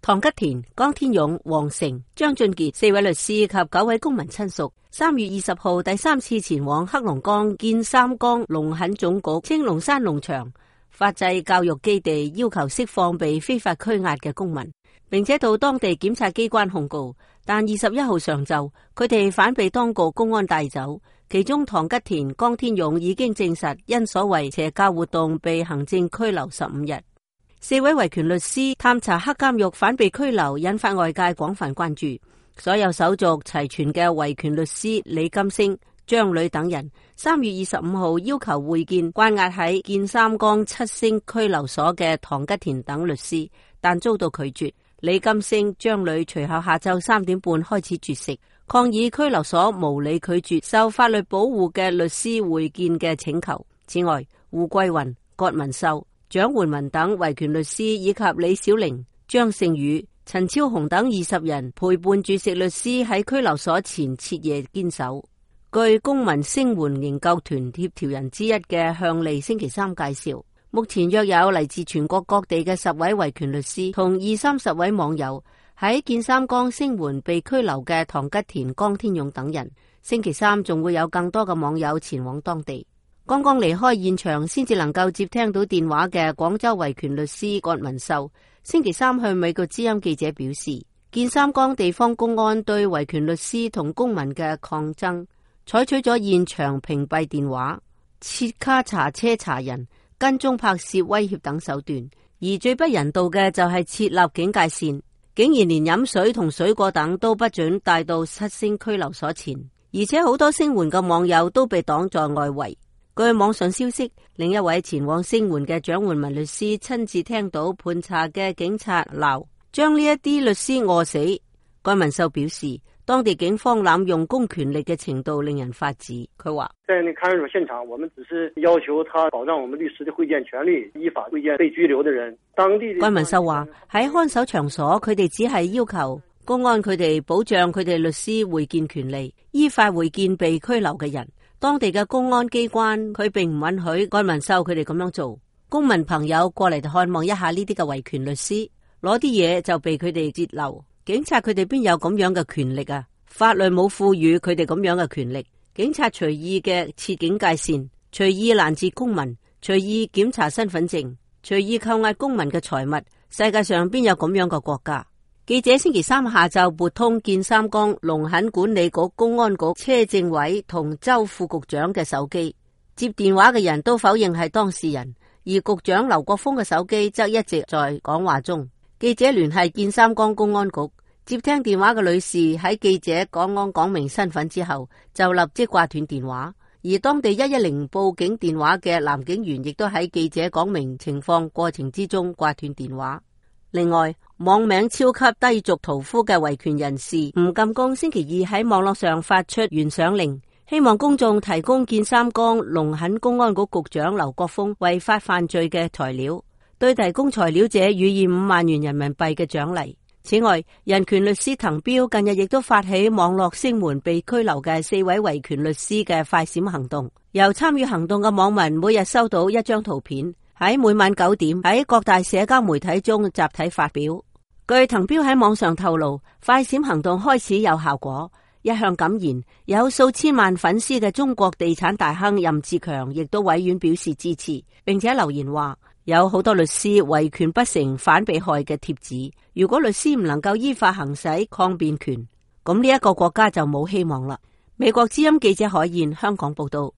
唐吉田、江天勇、黃成、張俊傑4位律師及9位公民親屬3月20號第3次前往黑龍江建三江農墾總局青龍山農場法制教育基地，要求釋放被非法拘押嘅公民，並且到當地檢察機關控告。但21號上晝，佢哋反被當局公安帶走。其中唐吉田、江天勇已經證實因所謂邪教活動被行政拘留15日。4位維權律師探查黑監獄反被拘留，引發外界廣泛關注。所有手續齊全嘅維權律師李金星、張磊等人3月25號要求會見關押喺建三江7星拘留所嘅唐吉田等律師，但遭到拒絕。李金星、張磊隨後下晝3點半開始絕食，抗議拘留所無理拒絕受法律保護嘅律師會見嘅請求。此外，胡桂雲、葛文秀、蔣煥文等維權律師以及李小玲、張勝宇、陳超雄等20人陪伴絕食律師喺拘留所前徹夜堅守。據公民聲援營救團協調人之一嘅向利星期三介紹，目前約有嚟自全國各地嘅10位維權律師同20-30位網友喺建三江聲援被拘留嘅唐吉田、江天勇等人。星期三仲會有更多嘅網友前往當地。剛剛離開現場先至能夠接聽到電話嘅廣州維權律師葛文秀，星期三向美國之音記者表示，建三江地方公安對維權律師同公民嘅抗爭採取咗現場屏蔽電話、設卡查車查人、跟蹤拍攝、威脅等手段，而最不人道嘅就係設立警戒線，竟然連飲水同水果等都不准帶到7星拘留所前，而且好多聲援嘅網友都被擋在外圍。據網上消息，另一位前往聲援嘅蔣煥文律師親自聽到盤查嘅警察鬧將呢一啲律師餓死。該文秀表示，當地警方濫用公權力嘅程度令人發指。佢話：在那看守現場，我們只是要求他保障我們律師的會見權利，依法會見被拘留的人。當地該文秀話喺看守場所，佢哋只係要求公安佢哋保障佢哋律師會見權利，依法會見被拘留嘅人。當地嘅公安機關佢並唔允許該文秀佢哋咁樣做。公民朋友過嚟看望一下呢啲嘅維權律師，攞啲嘢就被佢哋截留。警察佢哋邊有咁樣嘅權力啊？法律冇賦予佢哋咁樣嘅權力。警察隨意嘅設警戒線，隨意攔截公民，隨意檢查身份證，隨意扣押公民嘅財物。世界上邊有咁樣嘅國家？記者星期三下晝撥通建三江農墾管理局公安局車政委同周副局長嘅手機，接電話嘅人都否認係當事人，而局長劉國峰嘅手機則一直在講話中。記者聯繫建三江公安局，接聽電話嘅女士喺記者講明身份之後，就立即掛斷電話。而當地110報警電話嘅男警員亦都喺記者講明情況過程之中掛斷電話。另外，網名超級低俗屠夫嘅維權人士吳金公星期二喺網絡上發出懸賞令，希望公眾提供建三江農墾公安局局長劉國峰違法犯罪嘅材料，對提供材料者予以5萬元人民幣嘅獎勵。此外，人權律師滕彪近日亦都發起網絡聲援被拘留嘅4位維權律師嘅快閃行動，由參與行動嘅網民每日收到一張圖片，喺每晚9點喺各大社交媒體中集體發表。據滕彪喺網上透露，快閃行動開始有效果。一向敢言有數千萬粉絲嘅中國地產大亨任志強亦都委婉表示支持，並且留言話有好多律師維權不成反被害嘅貼紙，如果律師唔能夠依法行使抗辯權，咁呢一個國家就冇希望啦。美國之音記者海燕香港報道。